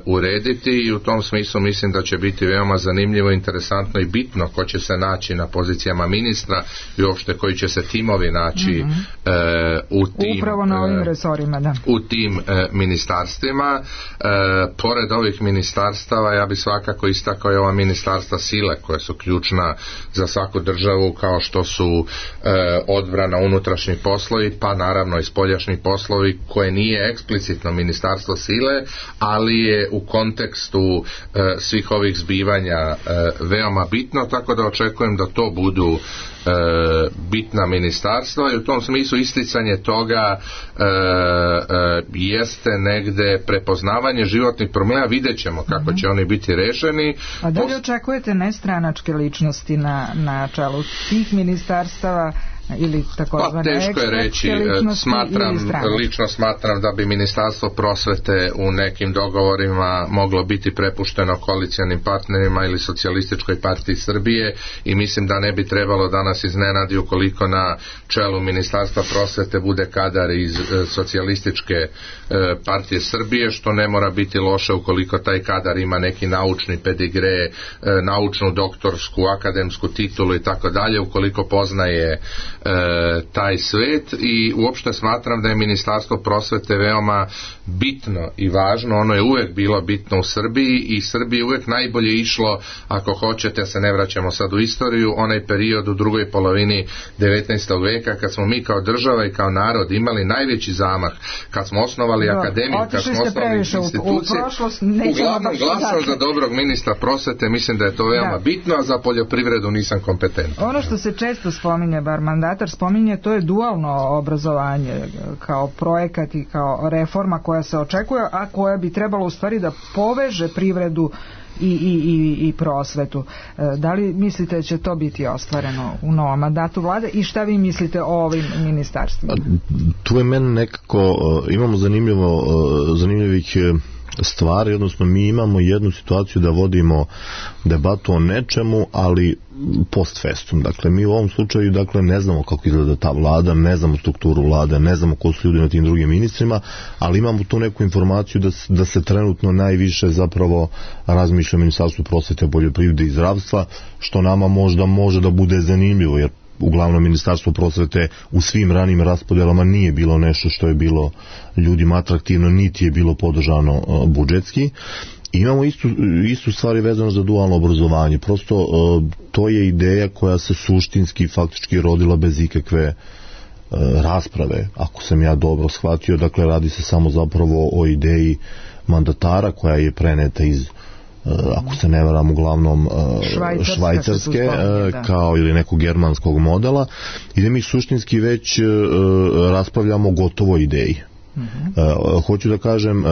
urediti i u tom smislu mislim da će biti veoma zanimljivo, interesantno i bitno ko će se naći na pozicijama ministra i uopšte koji će se timovi naći u tim, upravo na ovim resorima, da. U tim ministarstvima. Pored ovih ministarstava ja bih svakako istakao i ova ministarstva sile koja su ključna za svaku državu, kao što su odbrana, unutrašnji poslovi, pa naravno i spoljašnji poslovi, koje nije eksplicitno ministarstvo sile, ali je u kontekstu svih ovih zbivanja veoma bitno, tako da očekujem da to budu bitna ministarstva i u tom smislu isticanje toga jeste negde prepoznavanje životnih problema, vidjet ćemo kako će oni biti rešeni. A da li očekujete nestranačke ličnosti na čelu tih ministarstava ili takozvane teško je reći, lično smatram da bi Ministarstvo prosvete u nekim dogovorima moglo biti prepušteno koalicijanim partnerima ili Socijalističkoj partiji Srbije i mislim da ne bi trebalo da nas iznenadi ukoliko na čelu Ministarstva prosvete bude kadar iz Socijalističke partije Srbije, što ne mora biti loše ukoliko taj kadar ima neki naučni pedigre, naučnu, doktorsku, akademsku titulu i tako dalje, ukoliko poznaje taj svet i uopšte smatram da je Ministarstvo prosvete veoma bitno i važno, ono je uvek bilo bitno u Srbiji i Srbiji uvek najbolje išlo, ako hoćete, se ne vraćamo sad u istoriju, onaj period u drugoj polovini 19. veka kad smo mi kao država i kao narod imali najveći zamah, kad smo osnovali akademiju, kad smo osnovali institucije, uglavnom glasao za dobrog ministra prosvete, mislim da je to veoma bitno, a za poljoprivredu nisam kompetentan. Ono što se često spominje, bar mandatar spominje, to je dualno obrazovanje kao projekat i kao reforma koja se očekuje, a koja bi trebalo u stvari da poveže privredu i prosvetu. Da li mislite da će to biti ostvareno u novom mandatu vlade i šta vi mislite o ovim ministarstvima? Tu je meni nekako, imamo zanimljivih stvari, odnosno mi imamo jednu situaciju da vodimo debatu o nečemu, ali post festum. Dakle, mi u ovom slučaju ne znamo kako izgleda ta vlada, ne znamo strukturu vlade, ne znamo ko su ljudi na tim drugim ministrima, ali imamo tu neku informaciju da se trenutno najviše zapravo razmišlja o Ministarstvu prosvete, poljoprivrede i zdravstva, što nama možda može da bude zanimljivo, jer uglavnom Ministarstvo prosvete u svim ranim raspodelama nije bilo nešto što je bilo ljudima atraktivno, niti je bilo podržano budžetski. Imamo istu stvari vezano za dualno obrazovanje. Prosto to je ideja koja se suštinski faktički rodila bez ikakve rasprave, ako sam ja dobro shvatio. Dakle, radi se samo zapravo o ideji mandatara koja je preneta iz, ako se ne varam, uglavnom švajcarske kao ili nekog germanskog modela, i da mi suštinski već raspravljamo o gotovoj ideji. Hoću da kažem,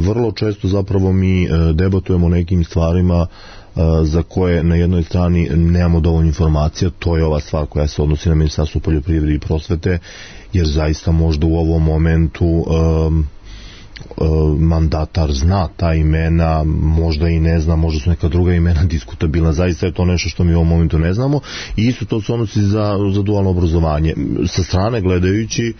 vrlo često zapravo mi debatujemo o nekim stvarima za koje na jednoj strani nemamo dovoljno informacija. To je ova stvar koja se odnosi na Ministarstvo poljoprivrede i prosvete, jer zaista možda u ovom momentu mandatar zna ta imena, možda i ne zna, možda su neka druga imena diskutabilna, zaista je to nešto što mi u ovom momentu ne znamo, i isto to se odnosi za dualno obrazovanje. Sa strane gledajući,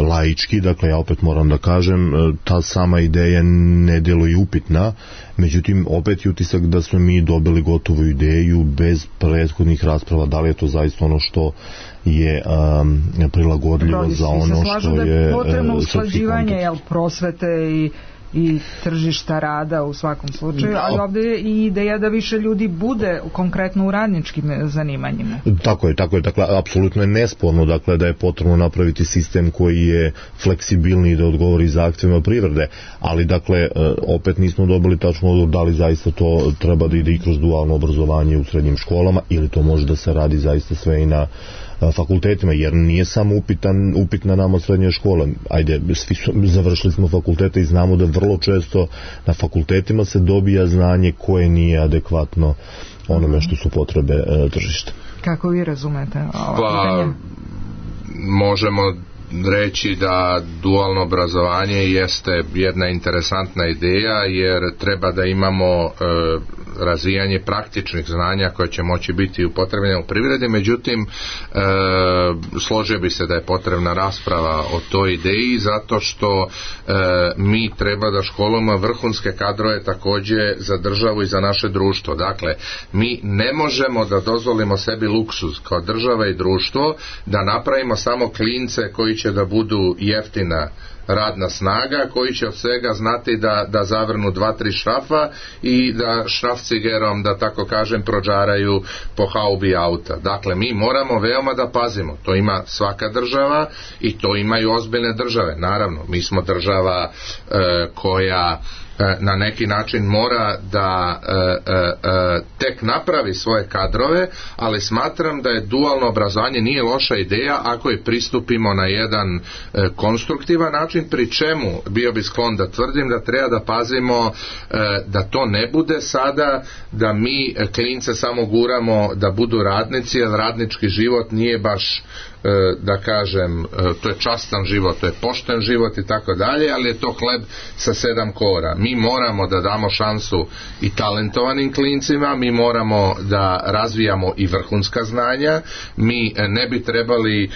laički, dakle ja opet moram da kažem, ta sama ideja ne djeluje upitna, međutim opet je utisak da smo mi dobili gotovu ideju bez prethodnih rasprava, da li je to zaista ono što je prilagodljivo za ono što je... Da je potrebno usklađivanje prosvete i tržišta rada u svakom slučaju, ali ovdje je i ideja da više ljudi bude konkretno u radničkim zanimanjima. Tako je, dakle, apsolutno je nesporno, dakle, da je potrebno napraviti sistem koji je fleksibilniji da odgovori zahtjevima privrede, ali dakle, opet nismo dobili tačno odgovor da li zaista to treba da ide i kroz dualno obrazovanje u srednjim školama, ili to može da se radi zaista sve i na fakultetima, jer nije samo upitna nama srednja škola. Ajde, završili smo fakultete i znamo da vrlo često na fakultetima se dobija znanje koje nije adekvatno onome što su potrebe tržišta. Kako vi razumete ovo pitanje? Možemo reći da dualno obrazovanje jeste jedna interesantna ideja, jer treba da imamo razvijanje praktičnih znanja koje će moći biti upotrebljene u privredi. Međutim, složio bi se da je potrebna rasprava o toj ideji, zato što mi treba da školujemo vrhunske kadrove također za državu i za naše društvo. Dakle, mi ne možemo da dozvolimo sebi luksuz kao država i društvo da napravimo samo klince koji će da budu jeftina radna snaga, koji će od svega znati da zavrnu 2-3 šrafa i da šrafcigerom, da tako kažem, prođaraju po haubi auta. Dakle, mi moramo veoma da pazimo. To ima svaka država i to imaju ozbiljne države. Naravno, mi smo država koja na neki način mora da tek napravi svoje kadrove, ali smatram da je dualno obrazovanje nije loša ideja ako je pristupimo na jedan konstruktivan način, pri čemu bio bi sklon da tvrdim da treba da pazimo da to ne bude sada da mi klince samo guramo da budu radnici, jer radnički život nije baš, da kažem, to je častan život, to je pošten život i tako dalje, ali je to hleb sa 7 kora. Mi moramo da damo šansu i talentovanim klincima, mi moramo da razvijamo i vrhunska znanja, mi ne bi trebali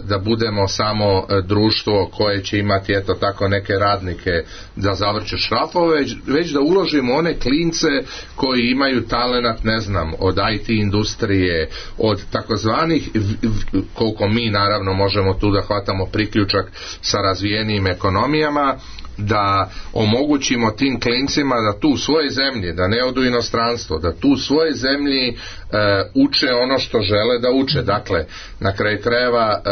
da budemo samo društvo koje će imati eto tako neke radnike da zavrće šrafove, već da uložimo one klince koji imaju talenat, ne znam, od IT industrije, od takozvanih, koliko mi naravno možemo tu da hvatamo priključak sa razvijenijim ekonomijama, da omogućimo tim klincima da tu u svojoj zemlji, da ne odu u inostranstvo, da tu u svojoj zemlji uče ono što žele da uče. Dakle, na kraju krajeva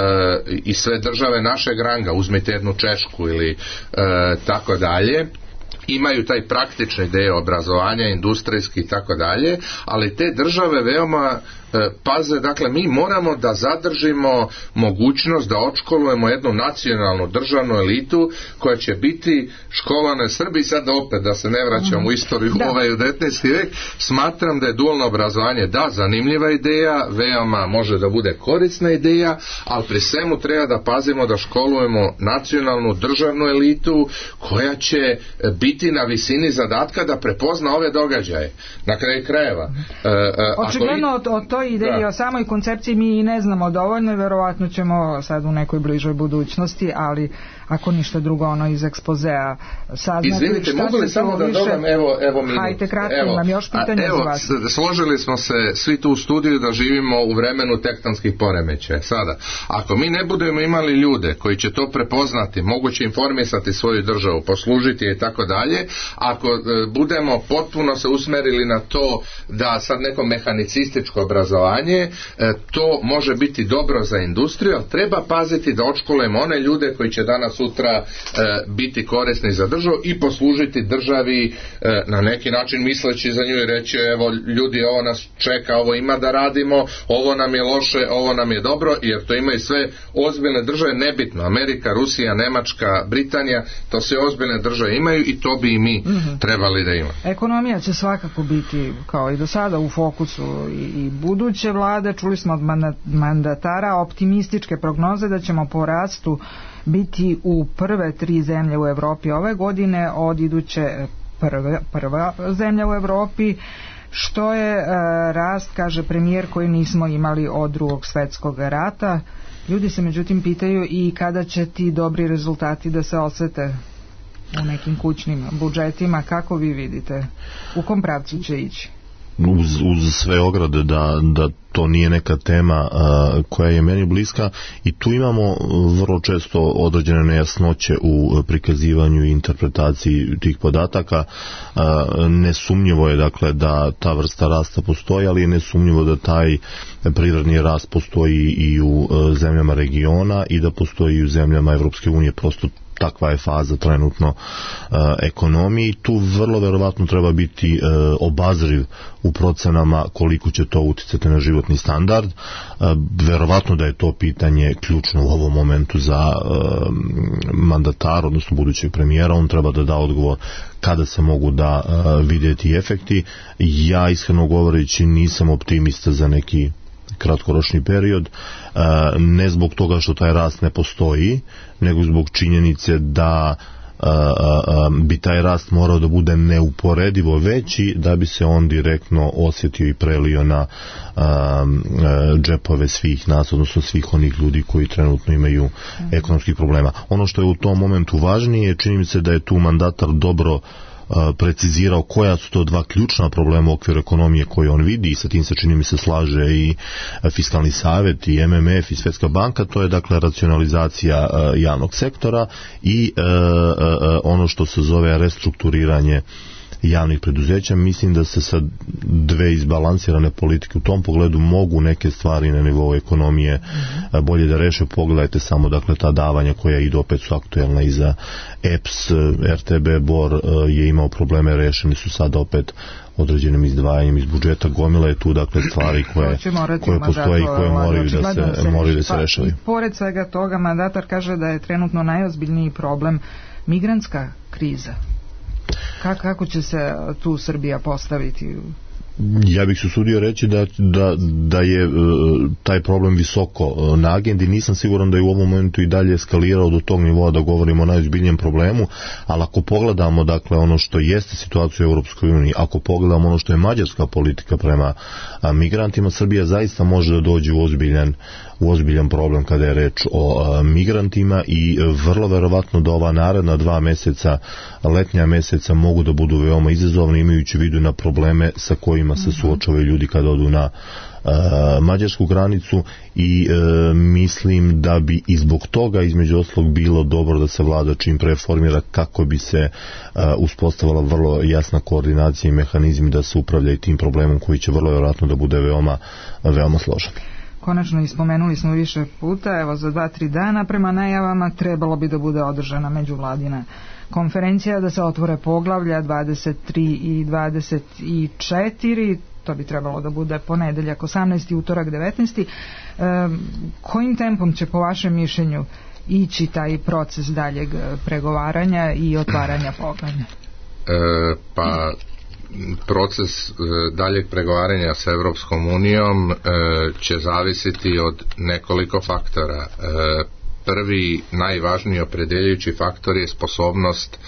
i sve države našeg ranga, uzmite jednu Češku ili tako dalje, imaju taj praktični deo obrazovanja, industrijski i tako dalje, ali te države veoma paze, dakle mi moramo da zadržimo mogućnost da odškolujemo jednu nacionalnu državnu elitu koja će biti školovana Srbiji. Sad opet da se ne vraćam u istoriju u 19. vek, smatram da je dualno obrazovanje zanimljiva ideja, veoma može da bude korisna ideja, ali pri svemu treba da pazimo da školujemo nacionalnu državnu elitu koja će biti na visini zadatka da prepozna ove događaje. Na kraju krajeva. Očigledno o toj ideji, o samoj koncepciji mi ne znamo dovoljno i verovatno ćemo sad u nekoj bližoj budućnosti, ali ako ništa drugo iz ekspozea saznati. Izvinite, mogu li samo da dodam, evo minut. Hajde, kratko, imam još pitanje za vas. Složili smo se svi tu u studiju da živimo u vremenu tektonskih poremećaja. Sada, ako mi ne budemo imali ljude koji će to prepoznati, moguće informisati svoju državu, poslužiti i tako dalje, ako budemo potpuno se usmerili na to da sad neko mehanicističko obrazovanje, to može biti dobro za industriju, ali treba paziti da odškolujemo one ljude koji će danas sutra biti korisni za državu i poslužiti državi na neki način misleći za nju i reći evo ljudi, ovo nas čeka, ovo ima da radimo, ovo nam je loše, ovo nam je dobro, jer to imaju sve ozbiljne države, nebitno, Amerika, Rusija, Nemačka, Britanija, to sve ozbiljne države imaju i to bi i mi trebali da imamo. Ekonomija će svakako biti kao i do sada u fokusu i buduće vlade. Čuli smo od mandatara optimističke prognoze da ćemo po rastu biti u prve 3 zemlje u Evropi ove godine, od iduće prva zemlja u Evropi, što je rast, kaže premijer, koji nismo imali od Drugog svjetskog rata. Ljudi se međutim pitaju i kada će ti dobri rezultati da se osete u nekim kućnim budžetima. Kako vi vidite? U kom pravcu će ići? Uz sve ograde da to nije neka tema koja je meni bliska, i tu imamo vrlo često određene nejasnoće u prikazivanju i interpretaciji tih podataka. Nesumnjivo je dakle da ta vrsta rasta postoji, ali je nesumnjivo da taj prirodni rast postoji i u zemljama regiona i da postoji i u zemljama Evropske unije. Prosto takva je faza trenutno ekonomiji. Tu vrlo verovatno treba biti obazriv u procenama koliko će to uticati na životni standard. Verovatno da je to pitanje ključno u ovom momentu za mandatar, odnosno budućeg premijera. On treba da da odgovor kada se mogu da vidjeti efekti. Ja iskreno govoreći nisam optimista za neki kratkoročni period, ne zbog toga što taj rast ne postoji, nego zbog činjenice da bi taj rast morao da bude neuporedivo veći da bi se on direktno osjetio i prelio na džepove svih nas, odnosno svih onih ljudi koji trenutno imaju ekonomskih problema. Ono što je u tom momentu važnije, čini mi se da je tu mandatar dobro precizirao koja su to dva ključna problema u okviru ekonomije koje on vidi i sa tim se čini mi se slaže i Fiskalni savjet i MMF i Svjetska banka, to je dakle racionalizacija javnog sektora i ono što se zove restrukturiranje javnih preduzeća. Mislim da se sa dve izbalansirane politike u tom pogledu mogu neke stvari na nivou ekonomije bolje da reše. Pogledajte samo dakle ta davanja koja idu, opet su aktuelna i za EPS, RTB Bor je imao probleme, rešeni su sada opet određenim izdvajanjem iz budžeta. Gomila je tu dakle stvari koje postoje i koje moraju da se rešavaju. Pored svega toga, mandatar kaže da je trenutno najozbiljniji problem migrantska kriza. Kako će se tu Srbija postaviti? Ja bih se usudio reći da je taj problem visoko na agendi. Nisam siguran da je u ovom momentu i dalje eskalirao do tog nivoa da govorimo o najozbiljnijem problemu, ali ako pogledamo dakle ono što jeste situacija u Europskoj uniji, ako pogledamo ono što je mađarska politika prema migrantima, Srbija zaista može da dođe u ozbiljan problem kada je reč o migrantima i vrlo verovatno da ova naredna 2 meseca, letnja meseca, mogu da budu veoma izazovni, imajući vidu na probleme sa kojima se suočavaju ljudi kada odu na mađarsku granicu i mislim da bi i zbog toga između ostalog bilo dobro da se vlada čim pre formira kako bi se uspostavila vrlo jasna koordinacija i mehanizmi da se upravlja i tim problemom koji će vrlo vjerojatno da bude veoma složen. Konačno ispomenuli smo više puta, evo za 2-3 dana prema najavama trebalo bi da bude održana međuvladina konferencija, da se otvore poglavlja 23 i 24, to bi trebalo da bude ponedeljak 18. utorak 19. Kojim tempom će po vašem mišljenju ići taj proces daljeg pregovaranja i otvaranja poglavlja? Proces daljeg pregovaranja sa Europskom unijom će zavisiti od nekoliko faktora. Prvi, najvažniji opredeljujući faktor je sposobnost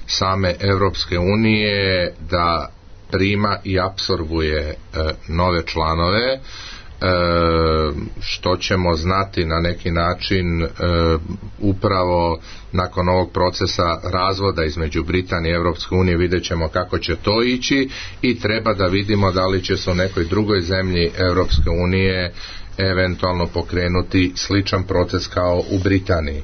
same Europske unije da prima i apsorbuje nove članove, što ćemo znati na neki način upravo nakon ovog procesa razvoda između Britanije i Europske unije. Vidjet ćemo kako će to ići i treba da vidimo da li će se u nekoj drugoj zemlji Europske unije eventualno pokrenuti sličan proces kao u Britaniji.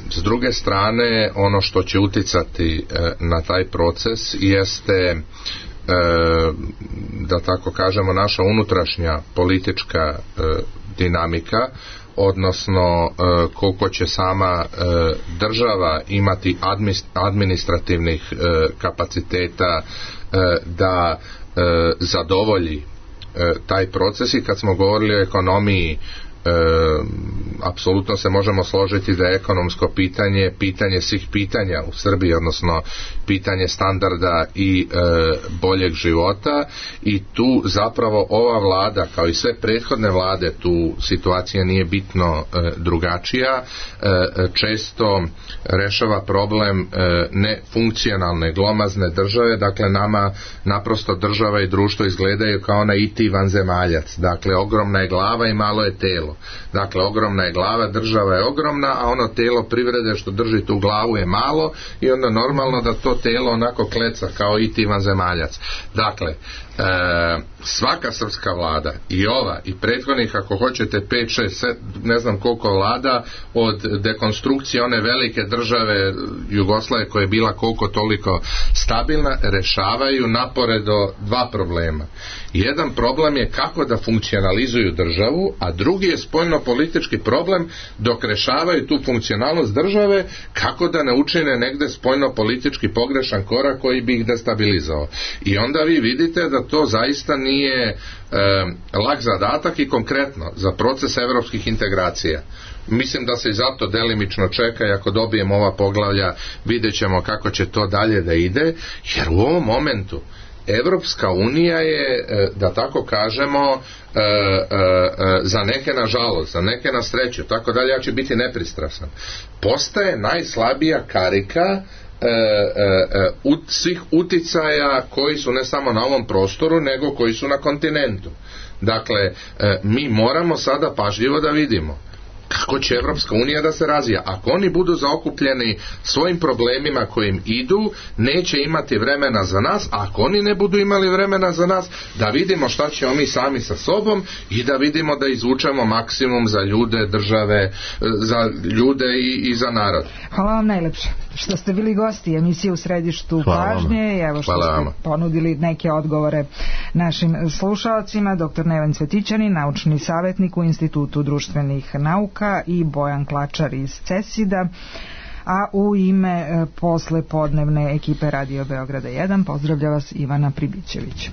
S druge strane, ono što će uticati na taj proces jeste, da tako kažemo, naša unutrašnja politička dinamika, odnosno koliko će sama država imati administrativnih kapaciteta da zadovolji taj proces. I kad smo govorili o ekonomiji, apsolutno se možemo složiti da je ekonomsko pitanje svih pitanja u Srbiji, odnosno pitanje standarda i boljeg života, i tu zapravo ova vlada kao i sve prethodne vlade, tu situacija nije bitno drugačija, često rešava problem nefunkcionalne glomazne države. Dakle, nama naprosto država i društvo izgledaju kao na IT vanzemaljac. Dakle, ogromna je glava i malo je telo. Dakle, ogromna je glava, država je ogromna, a ono telo privrede što drži tu glavu je malo, i onda normalno da to telo onako kleca kao i ti vanzemaljac. Dakle, svaka srpska vlada, i ova i prethodnih, ako hoćete 5, 6, 7, ne znam koliko vlada, od dekonstrukcije one velike države Jugoslavije koja je bila koliko toliko stabilna, rešavaju naporedo dva problema. Jedan problem je kako da funkcionalizuju državu, a drugi je spoljno-politički problem, dok rešavaju tu funkcionalnost države, kako da ne učine negde spoljno-politički pogrešan korak koji bi ih destabilizovao. I onda vi vidite da to zaista nije lak zadatak, i konkretno za proces evropskih integracija. Mislim da se i zato delimično čeka, i ako dobijemo ova poglavlja vidjet ćemo kako će to dalje da ide, jer u ovom momentu Evropska unija je, da tako kažemo, za neke na žalost, za neke na sreću, tako dalje, ja ću biti nepristrasan, postaje najslabija karika svih uticaja koji su ne samo na ovom prostoru, nego koji su na kontinentu. Dakle, mi moramo sada pažljivo da vidimo kako će Evropska unija da se razvija. Ako oni budu zaokupljeni svojim problemima kojim idu, neće imati vremena za nas, a ako oni ne budu imali vremena za nas, da vidimo šta ćemo mi sami sa sobom i da vidimo da izvučemo maksimum za ljude, države, za ljude i za narod. Hvala vam najlepše što ste bili gosti emisije U središtu pažnje i evo što ste ponudili neke odgovore našim slušalcima. Dr. Neven Cvetićanin, naučni savjetnik u Institutu društvenih nauka, i Bojan Klačar iz CESID-a, a u ime posle podnevne ekipe Radio Beograda 1 pozdravlja vas Ivana Pribićević.